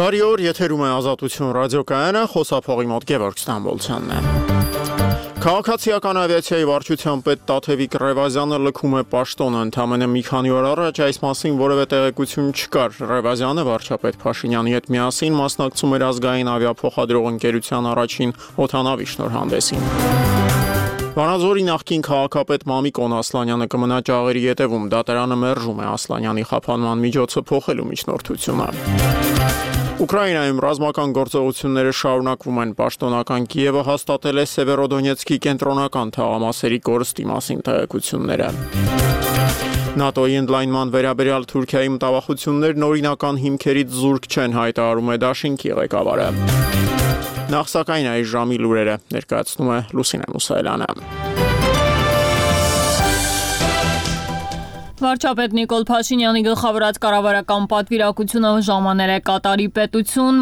Բարի օր, եթերում է Ազատություն ռադիոկայանը, խոսափողի մոտ Գևորգ Ստամբոլցյանն է։ Քաղաքացիական ավիացիայի վարչության պետ Տաթևիկ Ռևազյանը լքում է պաշտոնը, ընդամենը մի քանի օր առաջ այս մասին որևէ տեղեկություն չկար։ Ռևազյանը վարչապետ Փաշինյանի հետ միասին մասնակցում էր ազգային ավիափոխադրող ընկերության առաջին օդանավի շնորհանդեսին։ Վանաձորի նախկին քաղաքապետ Մամիկոն Ասլանյանը կմնա ճաղերի ետևում, դատարանը մերժում է Ասլանյանի խափանման միջոցը փոխելու միջնորդությունը։ Ուկրաինայում ռազմական գործողությունները շարունակվում են, պաշտոնական Կիևը հաստատել է Սևերոդոնեցկի կենտրոնական թաղամասերի կորստի մասին տեղեկությունները։ ՆԱՏՕ-ի ընդլայնման վերաբերյալ Թուրքիայի մտավախություններն օրինական հիմքերից զուրկ չեն, հայտարարում է Դաշինքի ղեկավարը։ Նախ սակայն այս ժամի լուրերը ներկայացնում է Լուսինե Մուսայելյանը։ Վարչապետ Նիկոլ Փաշինյանի գլխավորած կառավարական պատվիրակությունը ժամանել է Կատարի պետություն,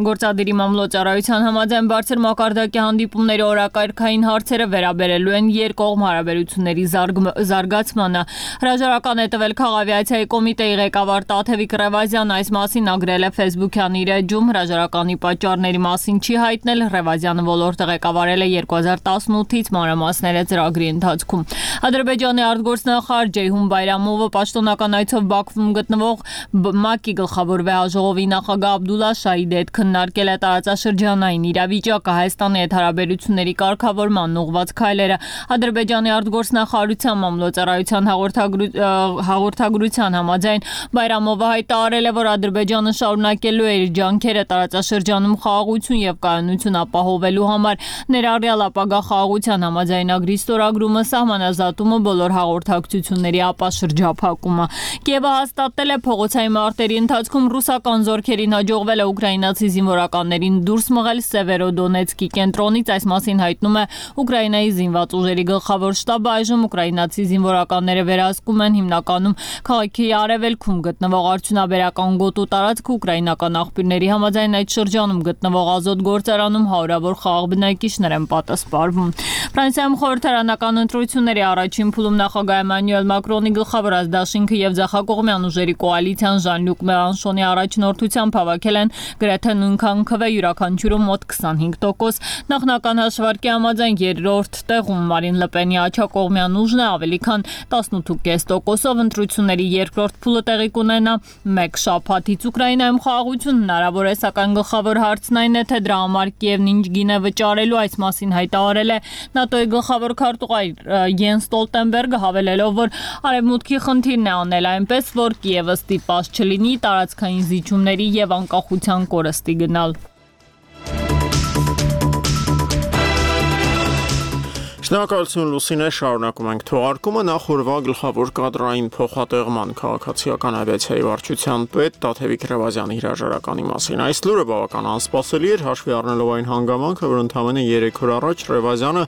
գործադիրի մամլոյցարայության համաձայն բարձր մակարդակի հանդիպումների օրակարգային հարցերը վերաբերելու են երկկողմ հարաբերությունների զարգացմանը։ Հրաժարական է տվել Քաղավիացիայի կոմիտեի ղեկավար Տաթևիկ Ռևազյանը, այս մասին ագրել է Facebook-յան իր էջում, հրաժարականի պատճառների մասին չի հայտնել, Ռևազյանը ոլորտը ղեկավարել է 2018-ից, մանրամասները ծրագրի ընթացքում։ Ադրբեջանի արտգործնախարար Ջեյհուն Բայրամովը պաշտոնական այցով Բաքվում գտնվող ՄԱԿ-ի գլխավոր վեհաժողովի նախագահ Աբդուլլա Շահիդի հետ քննարկել է տարածաշրջանային իրավիճակը, Հայաստանի հետ հարաբերությունների կարգավորման ուղղված քայլերը։ Ադրբեջանի արտգործնախարարության մամլոյցարայության հաղորդագրության համաձայն Բայրամովը հայտարարել է, որ Ադրբեջանը շարունակելու է իր ջանքերը տարածաշրջանում խաղաղություն եւ կայունություն ապահովելու համար, ներառյալ ապագա խաղաղության համաձայնագրի ստորագրումը, սահմանազատումը, բոլոր հաղորդակցությունների ապաշրջափակումը։ Կիևը հաստատել է փողոցային մարտերի ընթացքում ռուսական զորքերին հաջողվել է ուկրաինացի զինվորականներին դուրս մղել Սևերոդոնեցկի կենտրոնից, այս մասին հայտնում է Ուկրաինայի զինված ուժերի գլխավոր շտաբը։ Այժմ ուկրաինացի զինվորականները վերահսկում են հիմնականում քաղաքի արևելքում գտնվող արդյունաբերական գոտու տարածքը, ուկրաինական աղբյուրների համաձայն այդ շրջանում գտնվող ազոտ գործարանում հարյուրավոր խաղաղ բնակիչներ են պատասպարվում։ Ֆրանսիայում խորհրդարանական ընտրությունների առաջին փուլում նախագահ Էմանուել Մակրոնի գլխավորած Դաշինքը եւ ձախակողմյան ուժերի կոալիցիան Ժան-Լյուկ Մելանշոնի առաջնորդությամբ հավաքել են գրեթե նույնքան քվե, յուրաքանչյուրում մոտ 25%։ Նախնական հաշվարկի համաձայն երրորդ տեղում Մարին Լպենի աջակողմյան ուժն է ավելի քան 18.5%-ով, ընտրությունների երկրորդ փուլը տեղի կունենա մեկ շաբաթից։ Ուկրաինայում խաղաղություն հնարավոր է, սակայն գլխավոր հարցն այն է, թե դրա համար Կիևն ինչ գին է վճարելու, այս մասին հայտարարել է ՆԱՏՕ-ի գլխավոր քարտուղար Յենս Ստոլտենբերգը, հավելելով, որ Արևմուտքի խնդիրն է անել այնպես, որ Կիևը ստիպված չլինի տարածքային զիջումների եւ անկախության կորստի գնալ։ Շնորհակալություն Լուսինե, շարունակում ենք թողարկումը, նախորդ գլխավոր կադրային փոխատեղման քաղաքացիական ավիացիայի վարչության պետ Տաթևիկ Ռևազյանի հրաժարականի մասին։ Այս լուրը բավական անսպասելի էր, հաշվի առնելով այն հանգամանքը, որ ընդամենը 3 օր առաջ Ռևազյանը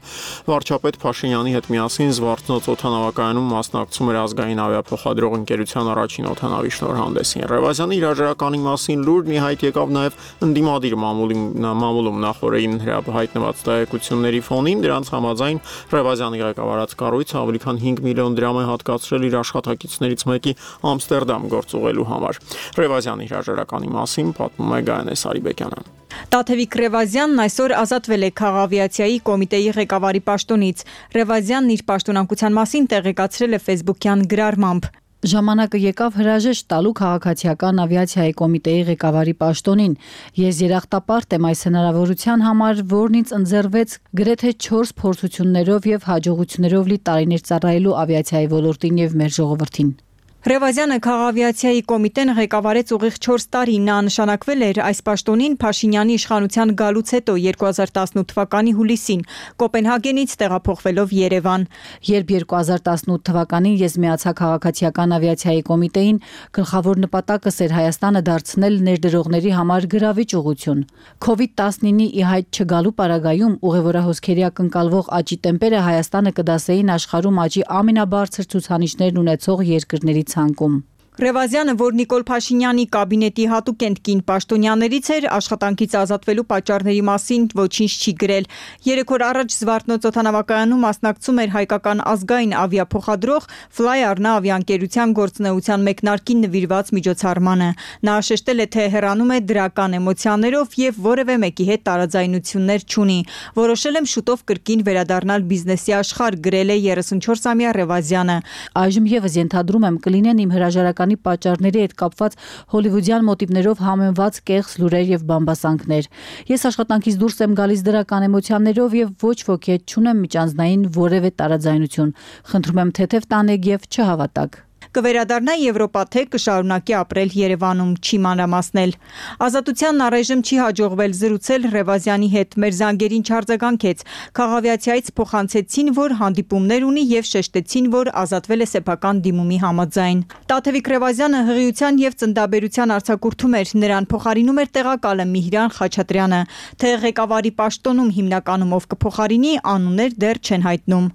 վարչապետ Փաշինյանի հետ միասին Զվարթնոց օդանավակայանում մասնակցում էր ազգային ավիափոխադրող ընկերության առաջին օդանավի շնորհանդեսին։ Ռևազյանի հրաժարականի մասին լուրն ի հայտ եկավ նաև ընդդիմադիր մամուլում նախորդին հայտնված տեղեկությունների ֆոնին, դրանց համաձայն Ռևազյանի ղեկավարած կառույցը ավելի քան 5 միլիոն դրամ է հատկացրել իր աշխատակիցներից մեկի Ամստերդամ գործուղելու համար։ Ռևազյանի հրաժարականի մասին պատմում է Գայանե Սարիբեկյանը։ Տաթևիկ Ռևազյանն այսօր ազատվել է Քաղավիացիայի կոմիտեի ղեկավարի պաշտոնից։ Ռևազյանն իր պաշտոնակության մասին տեղեկացրել է Facebook-յան գրառմամբ։ Ժամանակը եկավ հրաժեշտ տալու Քաղաքացիական ավիացիայի կոմիտեի ղեկավարի պաշտոնին։ Ես երախտապարտ եմ այս հնարավորության համար, որն ինձ ընձեռվեց գրեթե 4 փորձություններով եւ հաջողություններով լի տարիներ ծառայելու ավիացիայի ոլորտին եւ մեր ժողովրդին։ Ռևազյանը Քաղավիացիայի կոմիտեն ղեկավարեց ուղիղ 4 տարի, նա նշանակվել էր այս պաշտոնին Փաշինյանի իշխանության գալուց հետո 2018 թվականի հուլիսին, Կոպենհագենից տեղափոխվելով Երևան։ Երբ 2018 թվականին ես միացա Քաղաքացիական ավիացիայի կոմիտեին, գլխավոր նպատակս էր Հայաստանը դարձնել ներդրողների համար գրավիչ ուղղություն։ COVID-19-ի ի հայտ չգալու պարագայում ուղևորահոսքերի ակնկալվող աճի տեմպերը Հայաստանը կդասեին աշխարհում աճի ամենաբարձր ցուցանիշներն ունեցող երկրների ցանկում։ Ռևազյանը, որ Նիկոլ Փաշինյանի կաբինետի հատուկ կին պաշտոնյաներից էր, աշխատանքից ազատվելու պատճառների մասին ոչինչ չի գրել։ 3 օր առաջ Զվարթնոց օդանավակայանում մասնակցում էր հայկական ազգային ավիափոխադրող Fly Arna ավիաընկերության գործունեության մեկնարկին նվիրված միջոցառմանը։ Նա շեշտել է, թե հեռանում է դրական էմոցիաներով եւ որևէ մեկի հետ տարաձայնություններ չունի։ Որոշել եմ շուտով կրկին վերադառնալ բիզնեսի աշխարհ, գրել է 34-ամյա Ռևազյանը։ Այժմ եւս ենթադրում եմ կլինեն իմ հրաժարականի պատճառների հետ կապված հոլիվուդյան մոտիվներով համեմված կեղծ լուրեր եւ բամբասանքներ։ Ես աշխատանքից դուրս եմ գալիս դրական էմոցիաներով եւ ոչ ոքի հետ չունեմ միջանձնային որևէ տարաձայնություն։ Խնդրում եմ թեթև տանեք եւ չհավատաք։ Կվերադառնա Եվրոպա, թե կշարունակի ապրել Երևանում, չի մանրամասնել։ Ազատությանն առայժմ չի հաջողվել զրուցել Ռևազյանի հետ, մեր զանգերին չարձագանքեց։ Քաղավիացիայից փոխանցեցին, որ հանդիպումներ ունի եւ շեշտեցին, որ ազատվել է սեփական դիմումի համաձայն։ Տաթևիկ Ռևազյանը հղիության եւ ծննդաբերության արձակուրդում էր, նրան փոխարինում էր տեղակալը Միհրան Խաչատրյանը, թե ղեկավարի պաշտոնում հիմնականում ով կփոխարինի, անուններ դեռ չեն հայտնում։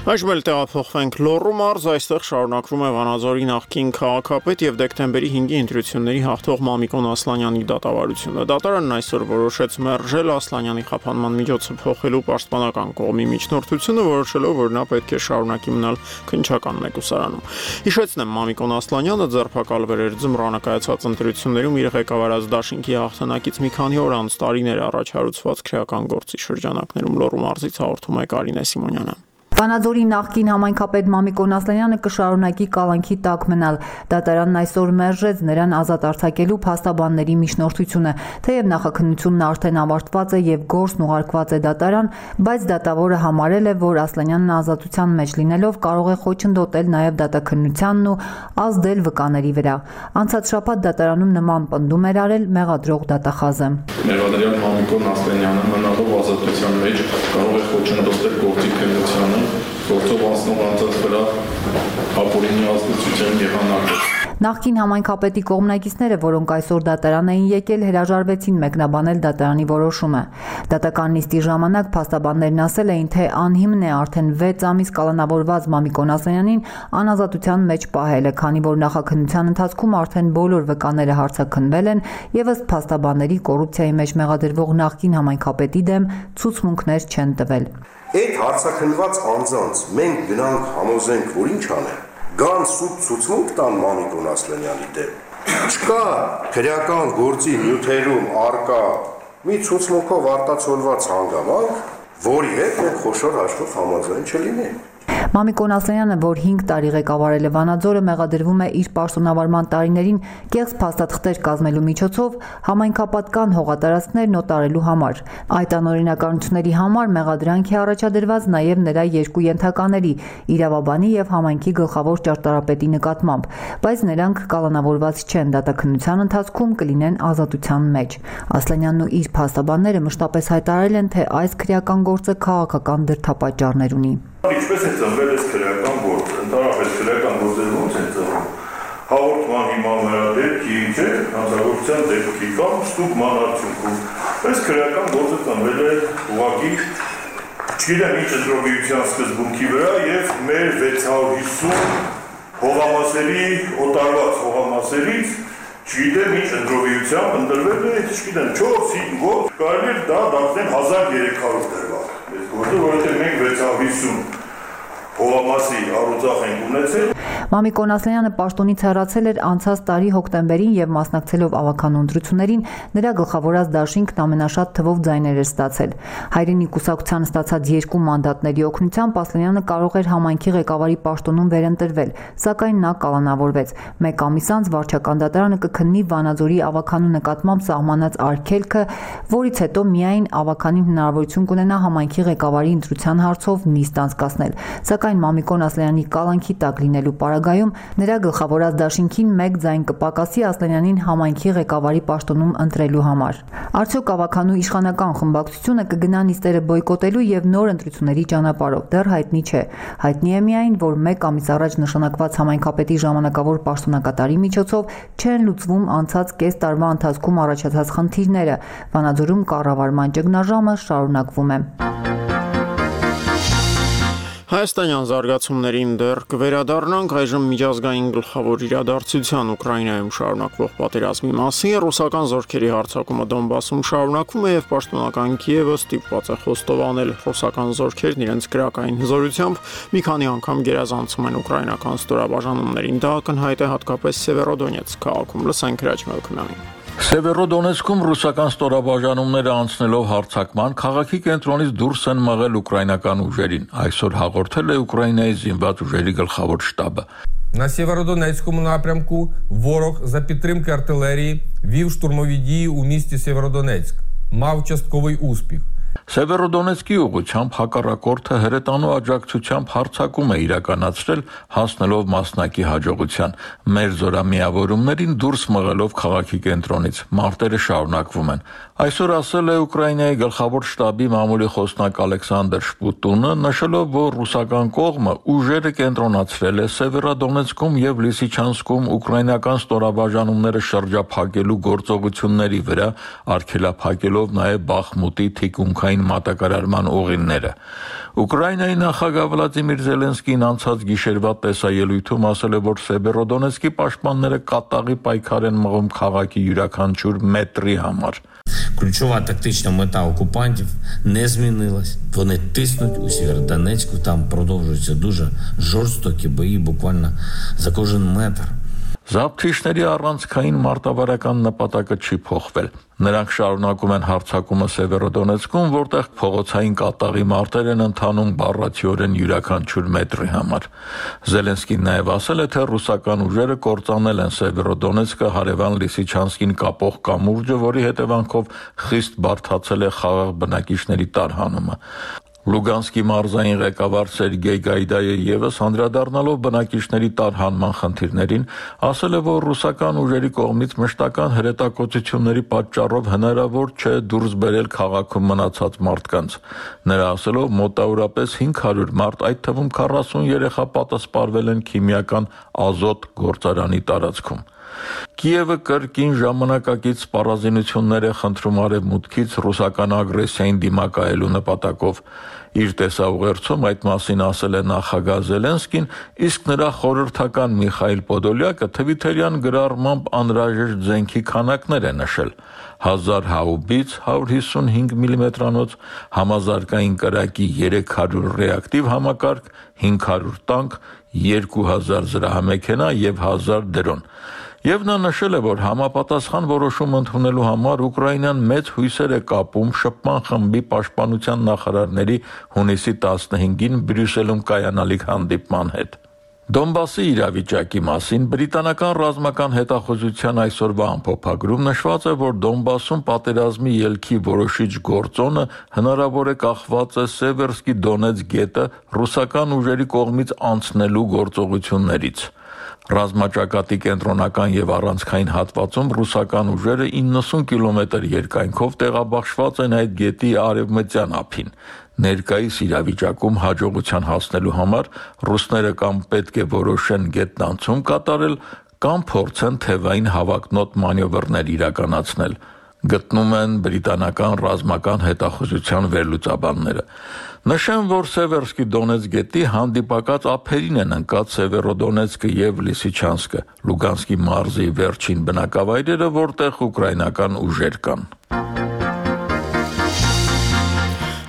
Այժմ էլ տեղափոխվենք Լոռու մարզ, այստեղ շարունակվում է Վանաձորի նախկին քաղաքապետ եւ դեկտեմբերի 5-ի ընտրությունների հաղթող Մամիկոն Ասլանյանի դատավարությունը։ Դատարանն այսօր որոշեց մերժել Ասլանյանի խափանման միջոցը փոխելու պաշտպանական կողմի միջնորդությունը, որոշելով, որ նա պետք է շարունակի մնալ քննչական մեկուսարանում։ Հիշեցնեմ, Մամիկոն Ասլանյանը ձերբակալվել էր ձմռանը կայացած ընտրություններում իր ղեկավարած դաշինքի հաղթանակից մի քանի օր անց տարիներ առաջ հարուցված քրեական գործի շրջանակներում։ Լոռու մարզից հաղորդում է Կարինե Սիմոնյանը։ Վանաձորի նախկին համայնքապետ Մամիկոն Ասլանյանը կշարունակի կալանքի տակ մնալ։ Դատարանն այսօր մերժեց նրան ազատ արձակելու փաստաբանների միջնորդությունը, թեև նախաքննությունն արդեն ավարտված է եւ գործն ուղարկված է դատարան, բայց դատավորը համարել է, որ Ասլանյանն ազատության մեջ լինելով կարող է խոչընդոտել նաեւ դատաքննությանն ու ազդել վկաների վրա։ Անցած շաբաթ դատարանում նման պնդում էր արել մեղադրող դատախազը։ Մեղադրյալ Մամիկոն Ասլանյանը մնալով ազատության մեջ կարող է խոչընդոտել գործի քննությանը, գործով անցնող անձանց վրա ապօրինի ազդեցության եղանակը։ Նախկին համայնքապետի կողմնակիցները, որոնք այսօր դատարան էին եկել, հրաժարվեցին մեկնաբանել դատարանի որոշումը։ Դատական նիստի ժամանակ փաստաբաններն ասել էին, թե անհիմն է արդեն 6 ամիս կալանավորված Մամիկոն Ասլանյանին անազատության մեջ պահելը, քանի որ նախաքննության ընթացքում արդեն բոլոր վկաները հարցաքննվել են եւ ըստ փաստաբանների կոռուպցիայի մեջ մեղադրվող նախկին համայնքապետի դեմ ցուցմունքներ չեն տվել։ Այդ հարցաքննված անձանց մենք գնանք համոզենք, որ ինչ անեն։ Գան սուտ ցուցմունք տան Մամիկոն Ասլանյանի դեմ։ Չկա քրեական գործի նյութերում արկա մի ցուցմունքով արտացոլված հանգամանք, որի հետ մենք խոշոր հաշվով համաձայն չլինենք։ Մամիկոն Ասլանյանը, որ 5 տարի ղեկավարել է Վանաձորը, մեղադրվում է իր պաշտոնավարման տարիներին կեղծ փաստաթղթեր կազմելու միջոցով համայնքապատկան հողատարածքներն օտարելու համար։ Այդ անօրինականությունների համար մեղադրանք է առաջադրված նաև նրա 2 ենթակաների՝ իրավաբանի եւ համայնքի գլխավոր ճարտարապետի նկատմամբ, բայց նրանք կալանավորված չեն, դատաքննության ընթացքում կլինեն ազատության մեջ։ Ասլանյանն ու իր փաստաբանները մշտապես հայտարարել են, թե այս քրեական գործը քաղաքական դրդապատճառներ ունի։ Ինչպես է ծնվել այս քրեական գործը, ընդհանրապես քրեական գործերը ոնց են ծնվում։ Հաղորդման հիման վրա դեպքի չէ, հանցագործության դեպքի կամ ստուգման արդյունքում։ Այս քրեական գործը ծնվել է ուղղակի, չգիտեմ ինչ ընտրողության սկզբունքի վրա եւ մեր 650 հողամասերի օտարված հողամասերից չգիտեմ ինչ ընտրողությամբ ընտրվել է, չգիտեմ 4-5 ոտ, կարելի է դա դարձնել 1300 դրվագ։ Որովհետև մենք 650 հողամասի առուձախ ենք ունեցել։ Մամիկոն Ասլանյանը պաշտոնից հեռացել էր անցած տարի հոկտեմբերին եւ մասնակցելով ավականու ընտրություններին նրա գլխավորած դաշինքն ամենաշատ թվով ձայներ էր ստացել։ Հայրենի կուսակցության ստացած 2 մանդատների օգնությամբ Ասլանյանը կարող էր համայնքի ղեկավարի պաշտոնում վերընտրվել, սակայն նա կալանավորվեց։ 1 ամիս անց վարչական դատարանը կքննի Վանաձորի ավականու նկատմամբ սահմանած արգելքը, որից հետո միայն ավականին հնարավորություն կունենա համայնքի ղեկավարի ընտրության հարցով նիստ անցկացնել։ Սակայն Մամիկոն Ասլանյանի կալանքի տակ լինելու պարագայում նրա գլխավորած դաշինքին 1 ձայն կպակասի Ասլանյանին համայնքի ղեկավարի պաշտոնում ընտրելու համար։ Արդյոք ավականու իշխանական խմբակցությունը կգնա նիստերը բոյկոտելու եւ նոր ընտրությունների ճանապարհով, դեռ հայտնի չէ։ Հայտնի է միայն, որ 1 ամիս առաջ նշանակված համայնքապետի ժամանակավոր պաշտոնակատարի միջոցով չեն լուծվում անցած կես տարվա ընթացքում առաջացած խնդիրները։ Վանաձորում կառավարման ճգնաժամը շարունակվում է։ Հայաստանյան զարգացումներին դեռ կվերադառնանք այժմ միջազգային գլխավոր իրադարձության Ուկրաինայում շարունակվող պատերազմի մասին ռուսական զորքերի հարձակումը Դոնբասում շարունակվում է եւ պաշտոնական Կիևը ստիպված է խոստովանել ռուսական զորքերն իրենց քրեական հզորությամբ մի քանի անգամ գերազանցում են ուկրաինական ստորաբաժանումներին դա ակնհայտ է հատկապես Սևերոդոնեցկ քաղաքում լսենք Հրաչ Մելքումյանին Սևերոդոնեցկում ռուսական ստորաբաժանումները անցնելով հարձակման քաղաքի կենտրոնից դուրս են մղել ուկրաինական ուժերին այսօր հաղորդել է Ուկրաինայի զինված ուժերի գլխավոր շտաբը На Сєвєродонецькому напрямку ворог за підтримки артилерії вів штурмові дії у місті Сєвєродонецьк. Мав частковий успіх. Սևերոդոնեցկի ուղղությամբ հակառակորդը հրետանու աջակցությամբ հարձակում է իրականացրել հասնելով մասնակի հաջողության մեր զորամիավորումներին դուրս մղելով քաղաքի կենտրոնից մարտերը շարունակվում են այսօր ասել է Ուկրաինայի գլխավոր շտաբի մամուլի խոսնակ Ալեքսանդր Շպուտունը նշելով որ ռուսական կողմը ուժերը կենտրոնացրել է Սևերոդոնեցկում եւ Լիսիչանսկում ուկրաինական ստորաբաժանումները շրջափակելու գործողությունների վրա արգելափակելով նաեւ Բախմուտի թիկունքային մատակարարման ուղիները Ուկրաինայի նախագահ Վլադիմիր Զելենսկին անցած գիշերվա տեսաելույթում ասել է որ Սևերոդոնեցկի պաշտպանները կատաղի պայքար են մղում քաղաքի յուրաքանչյուր մետրի համար Ключова тактична мета окупантів не змінилась. Вони тиснуть у Сєвєродонецьку, там продовжуються дуже жорстокі бої буквально за кожен метр. Զապթիչների առանցքային մարտավարական նպատակը չի փոխվել։ Նրանք շարունակում են հարձակումը Սևերոդոնեցկում, որտեղ փողոցային կատաղի մարտեր են ընթանում բառացիորեն յուրաքանչյուր մետրի համար։ Զելենսկին նաև ասել է, թե ռուսական ուժերը կործանել են Սևերոդոնեցկը հարևան Լիսիչանսկին կապող կամուրջը, որի հետևանքով խիստ բարդացել է խաղաղ բնակիչների տարհանումը։ Լուգանսկի մարզային ղեկավար Սերգեյ Գայդայը եւս անդրադառնալով բնակիչների տարհանման խնդիրներին ասել է, որ ռուսական ուժերի կողմից մշտական հրետակոծությունների պատճառով հնարավոր չէ դուրս բերել քաղաքում մնացած մարդկանց։ Նրա ասելով մոտավորապես 500 մարդ, այդ թվում 40 երեխա պատասպարվել են քիմիական ազոտ գործարանի տարածքում։ Կիևը կրկին ժամանակակից սպառազինություններ է խնդրում արևմուտքից ռուսական ագրեսիային դիմակայելու նպատակով։ Իր տեսաուղերձում այդ մասին ասել է նախագահ Զելենսկին, իսկ նրա խորհրդական Միխայիլ Պոդոլյակը թվիթերյան գրառմամբ անհրաժեշտ զենքի քանակներ է նշել 1000 հաուբից 155 մմ-անոց, համազարգային կրակի 300 ռեակտիվ համակարգ, 500 տանկ, 2000 զրահամեքենա եւ 1000 դրոն։ Եվ նա նշել է, որ համապատասխան որոշում ընդունելու համար Ուկրաինան մեծ հույսեր է կապում շփման խմբի պաշտպանության նախարարների հունիսի 15-ին Բրյուսելում կայանալիք հանդիպման հետ։ Դոնբասի իրավիճակի մասին բրիտանական ռազմական հետախուզության այսօրվա ամփոփագրում նշված է, որ Դոնբասում պատերազմի ելքի որոշիչ գործոնը հնարավոր է կախված է Սևերսկի Դոնեցկ գետը ռուսական ուժերի կողմից անցնելու գործողություններից։ Ռազմաճակատի կենտրոնական եւ առանցքային հատվածում ռուսական ուժերը 90 կիլոմետր երկայնքով տեղաբաշխված են այդ գետի արևմտյան ափին։ Ներկայիս իրավիճակում հաջողության հասնելու համար ռուսները կամ պետք է որոշեն գետնանցում կատարել, կամ փորձեն թևային հավակնոտ մանևրներ իրականացնել։ Գտնում են բրիտանական ռազմական հետախուզության վերլուծաբանները։ Նշեմ, որ Սևերսկի Դոնեցկ գետի հանդիպակաց ափերին են ընկած Սևերոդոնեցկը եւ Լիսիչանսկը, Լուգանսկի մարզի վերջին բնակավայրերը, որտեղ ուկրաինական ուժեր կան։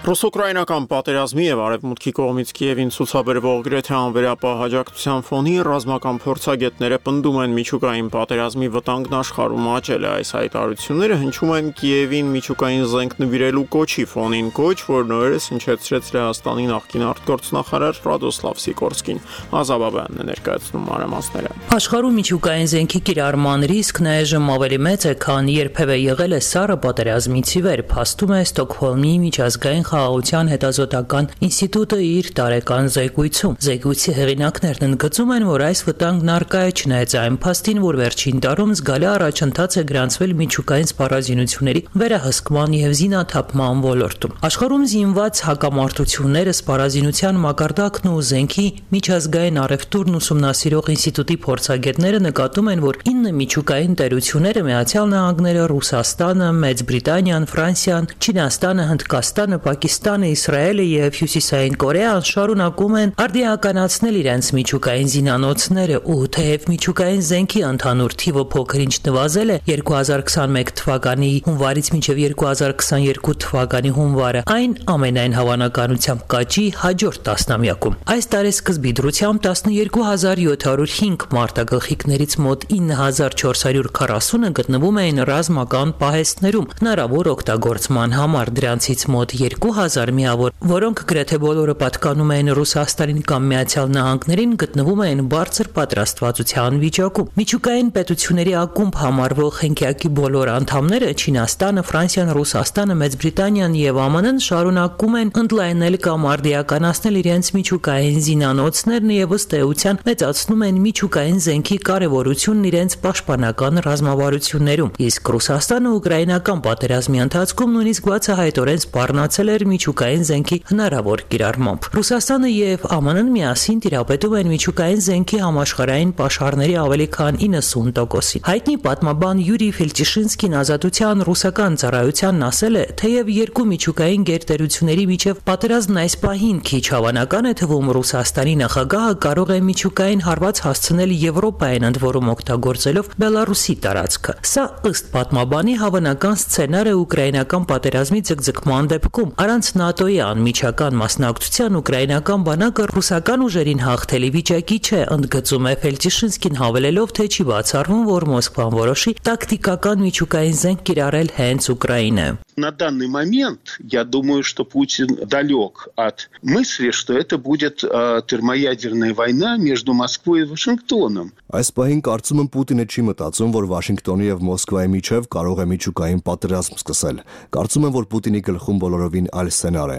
Ռուս-ուկրաինական պատերազմի եւ արևմուտքի կողմից Կիևին ցուցաբերվող գրեթե անվերապահ աջակցության ֆոնին ռազմական փորձագետները պնդում են միջուկային պատերազմի վտանգն աշխարհում աճել է այս հայտարարությունները հնչում են Կիևին միջուկային զենք նվիրելու կոչի ֆոնին կոչ, որ նորերս հնչեցրեց Լեհաստանի նախկին արտգործնախարար Ռադոսլավ Սիկորսկին Ազաբաբյանն է ներկայացնում մանրամասները Աշխարհում միջուկային զենքի կիրառման ռիսկն այժմ ավելի մեծ է, քան երբևէ եղել է սառը պատերազմից ի վեր, փաստում է Ստոկհոլմի միջազգային Խաղաղության հետազոտական ինստիտուտը իր տարեկան զեկույցում։ Զեկույցի հեղինակներն ընդգծում են, որ այս վտանգն առկա է չնայած այն փաստին, որ վերջին տարում զգալի առաջընթաց է գրանցվել միջուկային սպառազինությունների վերահսկման եւ զինաթափման ոլորտում։ Աշխարհում զինված հակամարտությունները, սպառազինության մակարդակն ու զենքի միջազգային առևտուրն ուսումնասիրող ինստիտուտի փորձագետները նկատում են, որ 9 միջուկային տերությունները Միացյալ Նահանգները, Ռուսաստանը, Մեծ Բրիտանիան, Ֆրանսիան, Չինաստանը, Հնդկաստանը, Պակիստանը, Իսրայելը եւ Հյուսիսային Կորեան շարունակում են արդիականացնել իրենց միջուկային զինանոցները ու թեև միջուկային զենքի ընդհանուր թիվը փոքր-ինչ նվազել է 2021 թվականի հունվարից մինչև 2022 թվականի հունվարը, այն ամենայն հավանականությամբ կաճի հաջորդ տասնամյակում։ Այս տարեսկզբի դրությամբ 12705 մարտագլխիկներից մոտ 9440-ը գտնվում էին ռազմական պահեստներում հնարավոր օգտագործման համար, դրանցից մոտ 2000 միավոր, որոնք գրեթե բոլորը պատկանում էին Ռուսաստանին կամ Միացյալ Նահանգներին, գտնվում էին բարձր պատրաստվածության վիճակում։ Միջուկային պետությունների ակումբ համարվող խենգյակի բոլոր անդամները Չինաստանը, Ֆրանսիան, Ռուսաստանը, Մեծ Բրիտանիան եւ ԱՄՆ-ն շարունակում են ընդլայնել կամ արդիականացնել իրենց միջուկային զինանոցներն եւ ըստ էության մեծացնում են միջուկային զենքի կարեւորությունն իրենց պաշտպանական ռազմավարություններում։ Իսկ Ռուսաստանը ուկրաինական պատերազմի ընթացքում նույնիսկ բացահայտորեն սպառնացել էր միջուկային զենքի հնարավոր կիրառմամբ։ Ռուսաստանը եւ ԱՄՆ-ն միասին տիրապետում են միջուկային զենքի համաշխարհային պաշարների ավելի քան 90%-ի։ Հայտնի պատմաբան Յուրի Ֆելտիշինսկին Ազատության ռուսական ծառայությանն ասել է, թեև երկու միջուկային գերտերությունների միջև պատերազմն այս պահին քիչ հավանական է թվում, Ռուսաստանի նախագահը կարող է միջուկային հարված հասցնել Եվրոպային, ընդ որում օգտագործելով Բելարուսի տարածքը։ Սա ըստ պատմաբանի հավանական սցենար է ուկրաինական պատերազմի ձգձգման դեպքում։ Առանց ՆԱՏՕ-ի անմիջական մասնակցության ուկրաինական բանակը ռուսական ուժերին հաղթելի վիճակի չէ, ընդգծում է Ֆելտիշինսկին, հավելելով, թե չի բացառվում, որ Մոսկվան որոշի տակտիկական միջուկային զենք կիրառել հենց Ուկրաինա։ На данный момент, я думаю, что Путин далек от мысли, что это будет термоядерная война между Москвой и Вашингтоном. Այս պահին կարծում եմ Պուտինը չի մտածում, որ Վաշինգտոնի եւ Մոսկվայի միջև կարող է միջուկային պատերազմ սկսել։ Կարծում եմ, որ Պուտինի գլխում բոլորովին այլ սցենար է։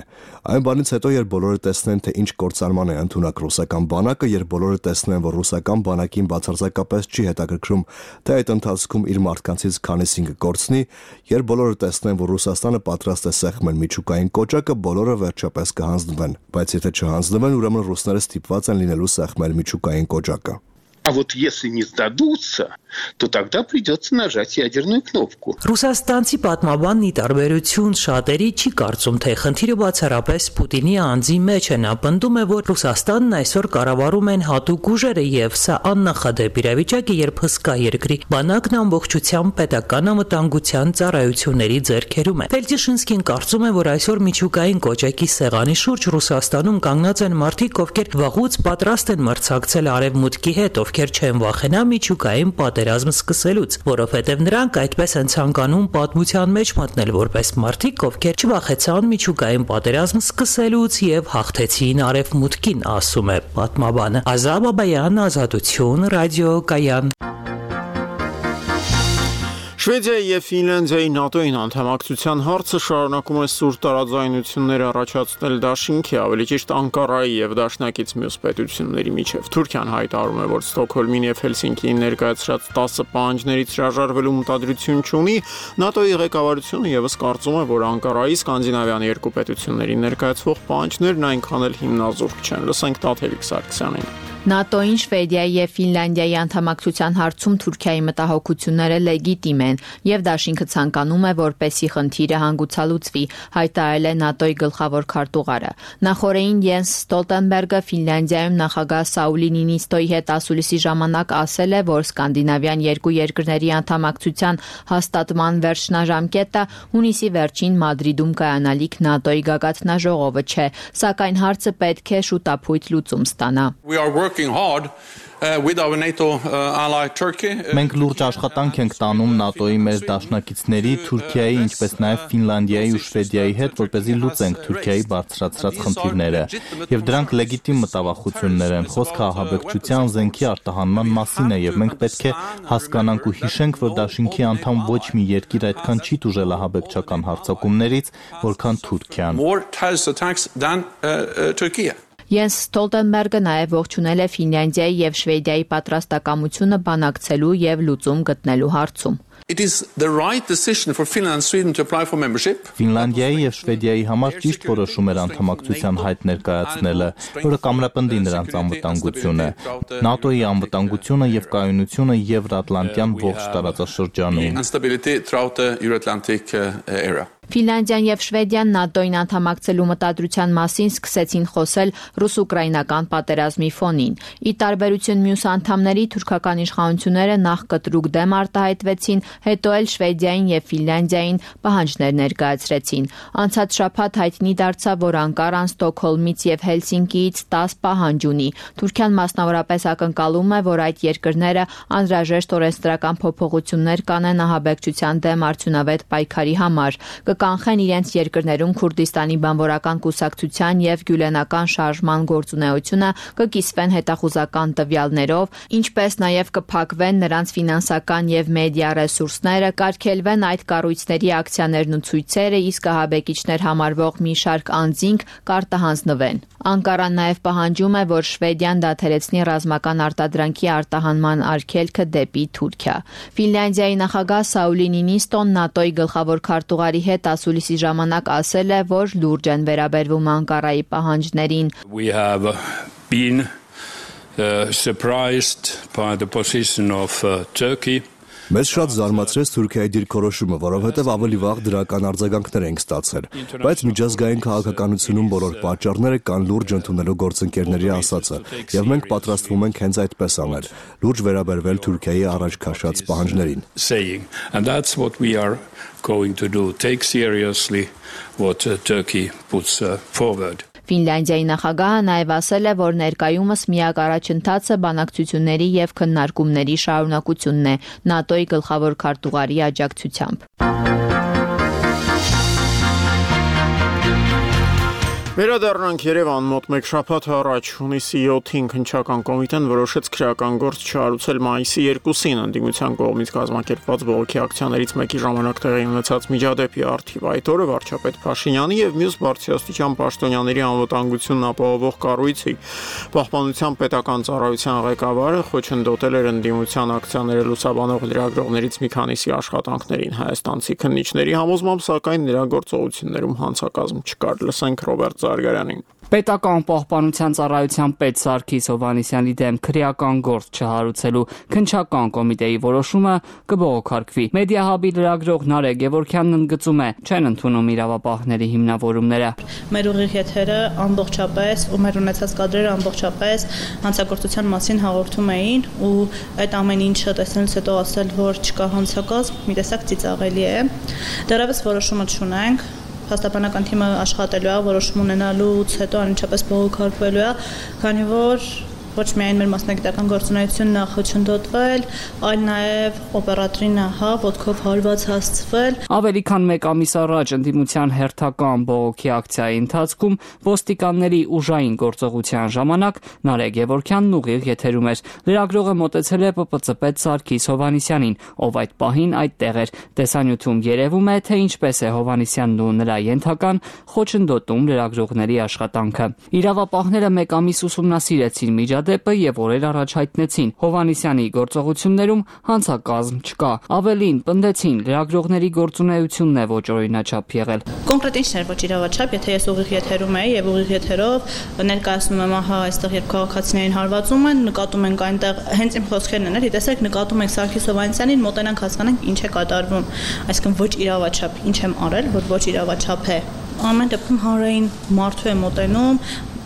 Այն բանից հետո, երբ բոլորը տեսնեն, թե ինչ կործանման է ընդունակ ռուսական բանակը, երբ բոլորը տեսնեն, որ ռուսական բանակին բացարձակապես չի հետաքրքրում, թե այդ ընթացքում իր մարդկանցից քանիսին կկորցնի, երբ բոլորը տեսնեն, որ Ռուսաստանը պատրաստ է սեղմել միջուկային կոճակը, բոլորը վերջապես կհանձնվեն, բայց եթե չհանձնվեն, ուրեմն ռուսները ստիպված են լինելու սեղմել միջուկային կոճակը։ А вот если не сдадутся, то тогда придется нажать ядерную кнопку. Ռուսաստանցի պատմաբանն ի տարբերություն շատերի չի կարծում, թե խնդիրը բացառապես Պուտինի անձի մեջ է։ Նա պնդում է, որ Ռուսաստանն այսօր կառավարում են հատուկ ուժերը եւ սա աննախադեպ իրավիճակ է, երբ հսկա երկրի բանակն ամբողջությամբ պետական անվտանգության ծառայությունների ձեռքերում է։ Ֆելտիշինսկին կարծում է, որ այսօր միջուկային կոճակի սեղանի շուրջ Ռուսաստանում կանգնած են մարդիկ, ովքեր վաղուց պատրաստ են մրցակցել արևմուտքի հետ, ովքեր չեն վախենա միջուկային պատերազմ սկսելուց, որովհետև նրանք այդպես են ցանկանում պատմության մեջ մտնել որպես մարդիկ, ովքեր չվախեցան միջուկային պատերազմ սկսելուց եւ հաղթեցին արևմուտքին, ասում է պատմաբանը։ Ազատ Բաբայան, Ազատություն, ռադիոկայան։ Շվեդիայի եւ Ֆինլանդիայի ՆԱՏՕ-ին անդամակցության հարցը շարունակում է սուր տարաձայնություններ առաջացնել դաշինքի, ավելի ճիշտ Անկարայի եւ դաշնակից մյուս պետությունների միջև։ Թուրքիան հայտարարում է, որ Ստոկհոլմին եւ Հելսինկիին ներկայացրած 10 պահանջներից հրաժարվելու մտադրություն չունի։ ՆԱՏՕ-ի ղեկավարությունը եւս կարծում է, որ Անկարայի սկանդինավյան երկու պետություններին ներկայացվող պահանջներն այնքան էլ հիմնազուրկ չեն։ Լսենք Տաթևիկ Սարգսյանին։ ՆԱՏՕ-ին Շվեդիայի եւ Ֆինլանդիայի անդամակցության հարցում Թուրքիայի մտահոգությունները լեգիտիմ են եւ դաշինքը ցանկանում է, որպեսի խնդիրը հանգուցալուծվի, հայտարարել է ՆԱՏՕ-ի գլխավոր քարտուղարը։ Նախորդին Յենս Ստոլտենբերգը Ֆինլանդիայում նախագահ Սաուլի Նինիստոյի հետ ասուլիսի ժամանակ ասել է, որ սկանդինավյան երկու երկրների անդամակցության հաստատման վերջնաժամկետը հունիսի վերջին Մադրիդում կայանալիք ՆԱՏՕ-ի գագաթնաժողովը չէ, սակայն հարցը պետք է շուտապույտ լուծում ստանա։ Մենք լուրջ աշխատանք ենք տանում ՆԱՏՕ-ի մեր դաշնակիցների, Թուրքիայի, ինչպես նաև Ֆինլանդիայի ու Շվեդիայի հետ, որպեսզի լուծենք Թուրքիայի բարձրացրած խնդիրները։ Եվ դրանք լեգիտիմ մտավախություններ են։ Խոսքը ահաբեկչության, զենքի արտահանման մասին է, եւ մենք պետք է հասկանանք ու հիշենք, որ դաշինքի անդամ ոչ մի երկիր այդքան չի տուժել ահաբեկչական հարձակումներից, որքան Թուրքիան։ Յենս Ստոլտենբերգը նաև ողջունել է Ֆինլանդիայի եւ Շվեդիայի պատրաստակամությունը բանակցելու եւ լուծում գտնելու հարցում։ Ֆինլանդիայի եւ Շվեդիայի համար ճիշտ որոշում էր անդամակցության հայտ ներկայացնելը, որը կամրապնդի նրանց անվտանգությունը, ՆԱՏՕ-ի անվտանգությունը եւ կայունությունը Եվրատլանտյան ողջ տարածաշրջանում։ Ֆինլանդիան եւ Շվեդիան ՆԱՏՕ-ին անդամակցելու մտադրության մասին սկսեցին խոսել ռուս-ուկրաինական պատերազմի ֆոնին։ Ի տարբերություն մյուս անդամների, թուրքական իշխանությունները նախ կտրուկ դեմ արտահայտվեցին, հետո էլ Շվեդիային եւ Ֆինլանդիային պահանջներ ներկայացրեցին։ Անցած շաբաթ հայտնի դարձավ, որ Անկարան Ստոկհոլմից եւ Հելսինկիից 10 պահանջ ունի։ Թուրքիան մասնավորապես ակնկալում է, որ այդ երկրները անհրաժեշտ օրենսդրական փոփոխություններ կանեն ահաբեկչության դեմ արդյունավետ պայքարի համար, կանխեն իրենց երկրներում Քուրդիստանի բանվորական կուսակցության եւ գյուլենական շարժման գործունեությունը, կկիսվեն հետախուզական տվյալներով, ինչպես նաեւ կփակվեն նրանց ֆինանսական եւ մեդիա ռեսուրսները, կարգելվեն այդ կառույցների ակցիաներն ու ցույցերը, իսկ ահաբեկիչներ համարվող մի շարք անձինք կարտահանձնվեն։ Անկարան նաեւ պահանջում է, որ Շվեդիան դադարեցնի ռազմական արտադրանքի արտահանման արգելքը դեպի Թուրքիա։ Ֆինլանդիայի նախագահ Սաուլի Նինիստոն ՆԱՏՕ-ի գլխավոր քարտուղարի հետ ասուլիսի ժամանակ ասել է, որ լուրջ են վերաբերվում Անկարայի պահանջներին։ We have been surprised by the position of Turkey. Մեզ շատ զարմացրեց Թուրքիայի դիրքորոշումը, որովհետև ավելի վաղ դրական արձագանքներ ենք ստացել, բայց միջազգային քաղաքականությունում բոլոր պատճառները կան լուրջ ընդունելու գործընկերների ասածը, եւ մենք պատրաստվում ենք հենց այդպես անել, լուրջ վերաբերվել Թուրքիայի առաջ քաշած պահանջներին։ And that's what we are going to do, take seriously what Turkey puts forward. Ֆինլանդիայի նախագահը նաև ասել է, որ ներկայումս միակ առաջընթացը բանակցությունների եւ քննարկումների շարունակությունն է ՆԱՏՕ-ի գլխավոր քարտուղարի աջակցությամբ։ Վերադառնանք Երևան մոտ մեկ շաբաթ առաջ հունիսի 7-ին քննչական կոմիտեն որոշեց քրեական գործ չհարուցել մայիսի 2-ին ընդդիմության կողմից կազմակերպված բողոքի ակցիաներից մեկի ժամանակ տեղի ունեցած միջադեպի առթիվ։ Այդ օրը վարչապետ Փաշինյանի եւ մյուս բարձրաստիճան պաշտոնյաների անվտանգությունն ապահովող կառույցի Պահպանության պետական ծառայության ղեկավարը խոչընդոտել էր ընդդիմության ակցիաները լուսաբանող լրագրողներից մի քանիսի աշխատանքներին։ Հայաստանցի քննիչների համոզմամբ, սակայն նրա գործողություններում հանցակազմ չկար։ Լսենք Ռոբերտ Զարգարյանին։ Պետական պահպանության ծառայության պետ Սարգիս Հովհաննիսյանի դեմ քրեական գործ չհարուցելու քննչական կոմիտեի որոշումը կբողոքարկվի։ Մեդիահաբի լրագրող Նարեկ Գևորգյանն ընդգծում է, չեն ընդունում իրավապահների հիմնավորումները։ Մեր ուղիղ եթերը ամբողջապես ու մեր ունեցած կադրերը ամբողջապես հանցագործության մասին հաղորդում էին ու այդ ամեն ինչը տեսնելուց հետո ասել, որ չկա հանցակազմ, մի տեսակ ծիծաղելի է։ Դեռևս որոշումը չունենք։ Փաստաբանական թիմը աշխատելու է, որոշում ունենալուց հետո անմիջապես բողոքարկվելու է, քանի որ ոչ միայն մեր մասնագիտական գործունեությունն է խոչընդոտվել, այլ նաև օպերատորին ոտքով հարված հասցվել։ Ավելի քան մեկ ամիս առաջ ընդդիմության հերթական բողոքի ակցիայի ընթացքում ոստիկանների ուժային գործողության ժամանակ Նարեկ Գևորգյանն ուղիղ եթերում էր։ Լրագրողը մոտեցել է ՊՊՑ պետ Սարգիս Հովհաննիսյանին, ով այդ պահին այդտեղ էր։ Տեսանյութում երևում է, թե ինչպես է Հովհաննիսյանն ու նրա ենթական խոչընդոտում լրագրողների աշխատանքը։ Իրավապահները մեկ ամիս ուսումնասիրեցին միջադեպը եւ օրեր առաջ հայտնեցին Հովհաննիսյանի գործողություններում հանցակազմ չկա։ Ավելին պնդեցին լրագրողների գործունեությունն է ոչ օրինաչափ եղել։ Կոնկրետ ինչն էր ոչ իրավաչափ, եթե ես ուղիղ եթերում եի եւ ուղիղ եթերով ներկայացնում եմ, ահա այստեղ երբ քաղաքացիներին հարվածում են, նկատում ենք այնտեղ հենց իմ խոսքերն են, տեսեք նկատում ենք Սարգիս Հովհաննիսյանին, մոտենանք հասկանանք ինչ է կատարվում, այսինքն ոչ իրավաչափ, ինչ եմ արել, որ ոչ իրավաչափ է։ Ամեն դեպքում հանրային մարդու է մոտենում,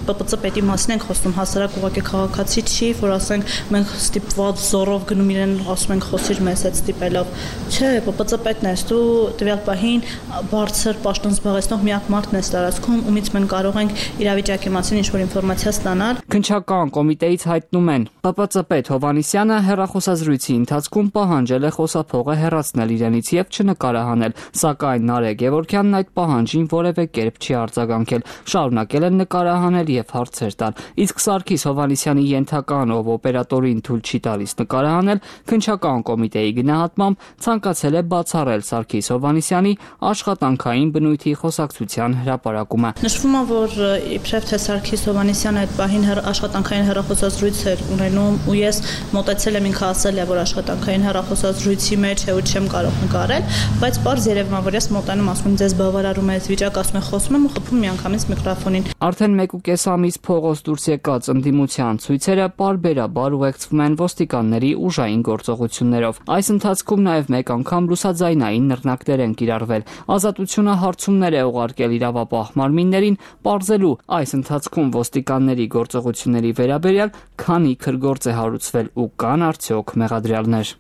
ՊՊՑ պետի մասին ենք խոսում, հասարակ ուղղակի քաղաքացի չի, որ ասենք մենք ստիպված զորով գնում իրեն ասում ենք խոսիր մեզ հետ ստիպելով։ Չէ, ՊՊՑ պետն ես, դու տվյալ պահին բարձր պաշտոն զբաղեցնող միակ մարդն ես տարածքում, ումից մենք կարող ենք իրավիճակի մասին ինչ-որ ինֆորմացիա ստանալ։ Քննչական կոմիտեից հայտնում են, ՊՊՑ պետ Հովհաննիսյանը հեռախոսազրույցի ընթացքում պահանջել է խոսափողը հեռացնել իրենից եւ չնկարահանել, սակայն Նարեկ Գևորգյանն այդ պահանջին որևէ կերպ չի արձագանքել, շարունակել են նկարահանել եւ հարցեր տալ։ Իսկ Սարգիս Հովհաննիսյանի ենթական, ով օպերատորին թույլ չի տալիս նկարահանել, քննչական կոմիտեի գնահատմամբ ցանկացել է բացառել Սարգիս Հովհաննիսյանի աշխատանքային բնույթի խոսակցության հրապարակումը։ Նշվում է, որ իբրև թե Սարգիս Հովհաննիսյանը այդ պահին աշխատանքային հեռախոսազրույց էր ունենում ու ես մոտեցել եմ, ինքը ասել է, որ աշխատանքային հեռախոսազրույցի մեջ է ու չեմ կարող նկարել, բայց պարզ երևում է, որ ես մոտենում ասում եմ ձեզ բավարարում է այս վիճակը, ասում եմ խոսում եմ ու խփում միանգամից միկրոֆոնին։ Արդեն 1.5 ամիս փողոց դուրս եկած ընդդիմության ցույցերը պարբերաբար ուղեկցվում են ոստիկանների ուժային գործողություններով։ Այս ընթացքում նաև մեկ անգամ ռուսաձայնային նռնակներ են կիրառվել։ Ազատությունը հարցումներ է ուղարկել իրավապահ մարմիններին, պարզելու այս ընթացքում ոստիկանների գործողությունների վերաբերյալ քանի քրգործ է հարուցվել ու կան արդյոք մեղադրյալներ։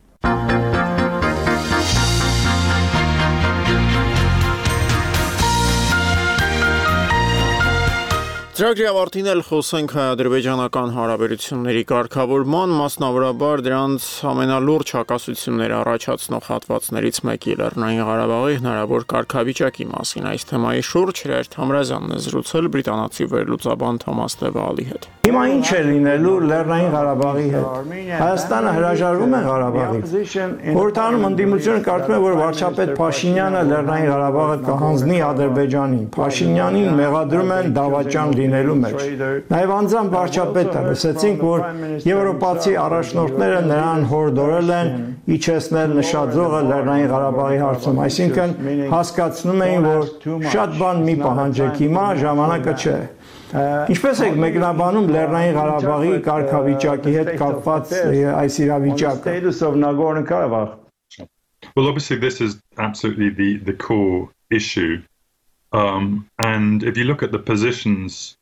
Ծրագրի ավարտին էլ խոսենք հայ-ադրբեջանական հարաբերությունների կարգավորման, մասնավորաբար դրանց ամենալուրջ հակասությունները առաջացնող հատվածներից մեկի Լեռնային Ղարաբաղի հնարավոր կարգավիճակի մասին։ Այս թեմայի շուրջ Հրեր Թամրազյանն է զրուցել բրիտանացի վերլուծաբան Թոմաս Տևալի հետ։ Հիմա ինչ է լինելու Լեռնային Ղարաբաղի հետ։ Հայաստանը հրաժարվում է Ղարաբաղից։ Խորհրդարանում ընդդիմությունը կարծում է, որ վարչապետ Փաշինյանը Լեռնային Ղարաբաղը կհանձնի Ադրբեջանին։ Փաշինյանին մեղադրում են դավաճան լինելու մեջ։ Նաև անձամբ վարչապետը լսեցինք, որ եվրոպացի առաջնորդները նրան հորդորել են իջեցնել նշաձողը Լեռնային Ղարաբաղի հարցում, այսինքն հասկացնում էին, որ շատ բան մի պահանջեք, հիմա ժամանակը չէ։ Ինչպես եք մեկնաբանում Լեռնային Ղարաբաղի կարգավիճակի հետ կապված այս իրավիճակը? Well, obviously this is absolutely the core issue. And if you look at the positions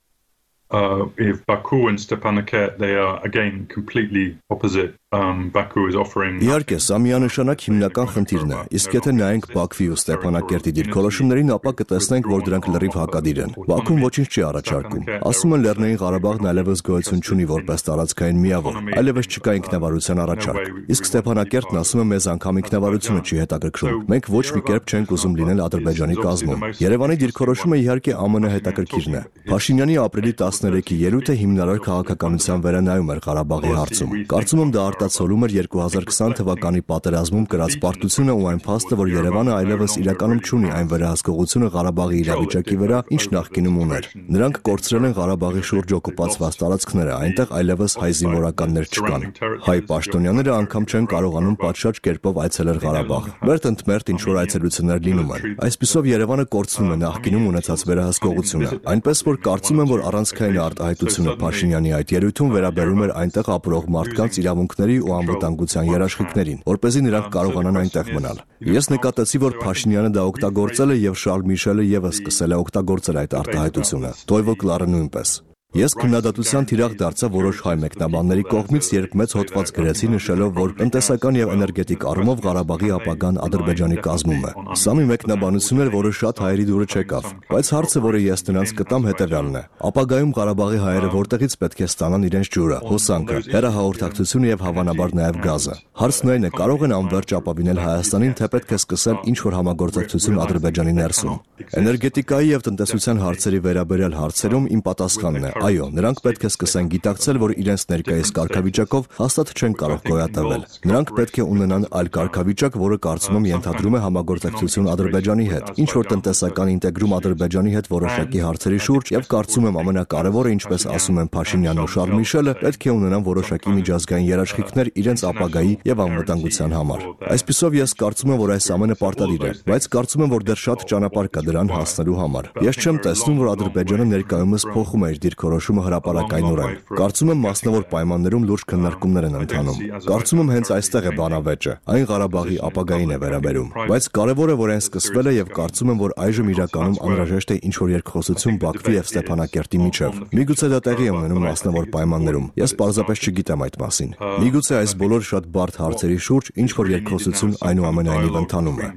if Baku and Stepanakert, they are again completely opposite. Baku is offering Իհարկե, սա միանշանակ հիմնական խնդիրն է, իսկ եթե նայենք Բաքվի ու Ստեփանակերտի դիրքորոշումներին, ապա կտեսնենք, որ դրանք լրիվ հակադիր են։ Բաքուն ոչինչ չի առաջարկում։ Ասում են Լեռնային Ղարաբաղն այլևս գոյություն չունի որպես տարածքային միավոր, այլևս չկա ինքնավարության առաջարկ։ Իսկ Ստեփանակերտն ասում է մեզ անգամ ինքնավարությունը չի հետաքրքրում։ Մենք ոչ մի կերպ չենք ուզում լինել Ադրբեջանի կազմում։ Երևանի դիրքորոշումը իհարկե ԱՄՆ հետաքրքիրն է։ Փաշինյանի ապրիլի 13-ի ելույթը հիմնարար քաղաքականության վերանայում էր Ղարաբաղի հարցում։ Կարծում եմ դա արտացոլում էր 2020 թվականի պատերազմում կրած պարտությունը ու այն փաստը, որ Երևանը այլևս իրականում չունի այն վերահսկողությունը Ղարաբաղի իրավիճակի վրա, ինչ նախկինում ուներ։ Նրանք կորցրել են Ղարաբաղի շուրջ օկուպացված տարածքները, այնտեղ այլևս հայ զինվորականներ չկան։ Հայ պաշտոնյաները անգամ չեն կարողանում պատշաճ կերպով այցելել Ղարաբաղ։ Մերթ ընդ մերթ ինչ-որ այցելություններ լինում են։ Այսպիսով Երևանը կորցնում է նախկինում ունեցած վերահսկողությունը։ Այնպես որ կարծում եմ, որ առանցքային արտահայտությունը Փաշինյանի այդ ելույթում վերաբերում էր այնտեղ ապրող մարդկանց իրավունքների ու անվտանգության երաշխիքներին, որպեսզի նրանք կարողանան այնտեղ մնալ։ Ես նկատեցի, որ Փաշինյանը դա օգտագործել է եւ Շարլ Միշելը եւս սկսել է օգտագործել այդ արտահայտությունը։ Տոյվո Կլարը նույնպես։ Ես քննադատության թիրախ դարձա որոշ հայ մեկնաբանների կողմից, երբ մեծ հոդված գրեցի նշելով, որ տնտեսական եւ էներգետիկ առումով Ղարաբաղի ապագան Ադրբեջանի կազմում է։ Սա մի մեկնաբանություն էր, որը շատ հայերի դուրը չեկավ, բայց հարցը, որը ես նրանց կտամ, հետեւյալն է. ապագայում Ղարաբաղի հայերը որտեղից պետք է ստանան իրենց ջուրը, հոսանքը, հեռահաղորդակցությունը եւ հավանաբար նաեւ գազը։ Հարցն այն է, կարող են անվերջ ապավինել Հայաստանին, թե պետք է սկսել ինչ-որ համագործակցություն Ադրբեջանի ներսում։ Էներգետիկայի եւ տնտեսության հարցերի վերաբերյալ հարցերում իմ պատասխանն է. այո, նրանք պետք է սկսեն գիտակցել, որ իրենց ներկայիս կարգավիճակով հաստատ չեն կարող գոյատևել։ Նրանք պետք է ունենան այլ կարգավիճակ, որը կարծում եմ ենթադրում է համագործակցություն Ադրբեջանի հետ, ինչ որ տնտեսական ինտեգրում Ադրբեջանի հետ որոշակի հարցերի շուրջ, եւ կարծում եմ ամենակարևորը, ինչպես ասում են Փաշինյանն ու Շարլ Միշելը, պետք է ունենան որոշակի միջազգային երաշխիքներ իրենց ապագայի եւ անվտանգության համար։ Այսպիսով ես կարծում եմ, որ այս ամենը պարտադիր է, բայց կարծում եմ, որ դեռ շատ ճանապարհ կա դրան հասնելու համար։ Ես չեմ տեսնում, որ Ադրբեջանը ներկայումս փոխում է իր դիրքորոշումը հրապարակայնորեն։ Կարծում եմ մասնավոր պայմաններում լուրջ քննարկումներ են ընթանում։ Կարծում եմ հենց այստեղ է բանավեճը, այն Ղարաբաղի ապագային է վերաբերում։ Բայց կարևորը, որ այն սկսվել է եւ կարծում եմ, որ այժմ իրականում անհրաժեշտ է ինչ-որ երկխոսություն Բաքվի եւ Ստեփանակերտի միջեւ։ Միգուցե դա տեղի է ունենում մասնավոր պայմաններում։ Ես պարզապես չգիտեմ այդ մասին։ Միգուցե այս բոլոր շատ բարդ հարցերի շուրջ ինչ-որ երկխոսություն այնուամենայնիվ ընթանում է։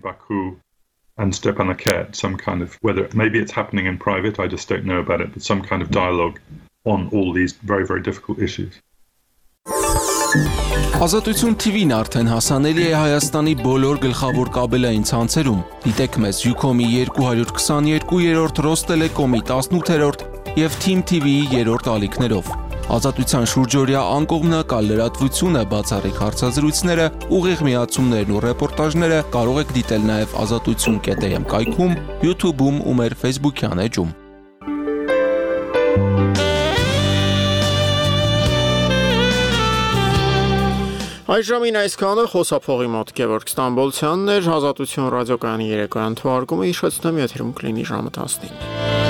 And Stepanakert, some kind of, whether maybe it's happening in private, I just don't know about it, but some kind of dialogue on all these very, very difficult issues. Ազատություն TV-ն արդեն հասանելի է Հայաստանի բոլոր գլխավոր կաբելային ցանցերում։ Դիտեք մեզ Ucom-ի 222-րդ, Ռոստելեկոմի 18-րդ եւ Team TV-ի 3-րդ ալիքներով։ Ազատության շուրջօրյա անկողմնակալ լրատվությունը, բացառիկ հարցազրույցները, ուղիղ միացումներն ու ռեպորտաժները կարող եք դիտել նաև azatutsun.am կայքում, YouTube-ում ու մեր Facebook-յան էջում։ Այժմին այսքանը խոսափողի մոտ Գևորգ Ստամբոլցյանն էր, Ազատություն ռադիոկայանի երեկոյան թողարկումը հիշեցնում եմ եթերում կլինի ժամը 15։